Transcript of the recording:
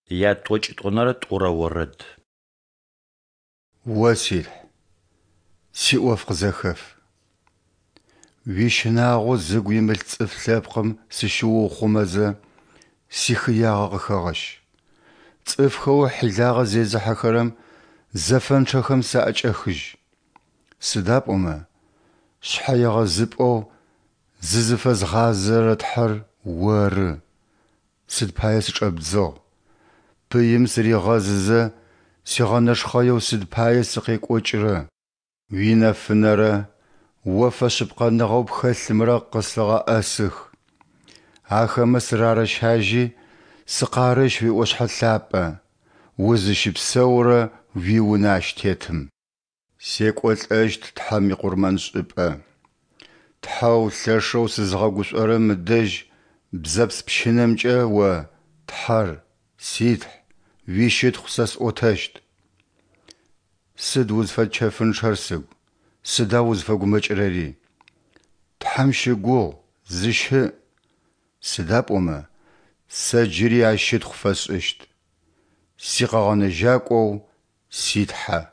Ятӏокӏитӏонэрэ тӏурэ орэд. О си Тхь, сиӏоф къызэхэф. Уищынагъо зыгу имылъ цӏыф лъэпкъым сыщыуухъумэзэ, сихыягъэ къыхэгъэщ. Цӏыфхэу хьилагъэ зезыхьэхэрэм, зэфэнчъэхэм саӏэкӏэхыжь. Сыда пӏомэ шъхьэегъэзыпӏэу зызыфэзгъазэрэ Тхьэр Оры. Сыд пае сычӏэбдзыгъ? Пыим сыригъэзызэ, сигъэнэшхъэеу сыд пае сыкъекӏокӏырэ? Уинэфынэрэ О фэшъыпкъэныгъэу пхэлъымрэ къыслъыгъэӏэсых. Ахэмэ сырарэщажьи, сыкъарэщ уиӏошъхьэ лъапӏэ, узыщыпсэурэ уи Унэ ащ тетым. Секӏолӏэщт Тхьэм икъурмэншӏыпӏэ, Тхьэу лъэшэу сызыгъэгушӏорэм ыдэжь бзэпс пщынэмкӏэ О, Тхьэр, си Тхь, уищытхъу сэ сӏотэщт. Сыд узфэчэфынчъэр, сыгу, сыда узфэгумэкӏырэри? Тхьэм щыгугъ, зыщыӏ. Сыда пӏомэ сэ джыри Ащ щытхъу фэсшӏыщт, си Къэгъэнэжьакӏоу си Тхьэ.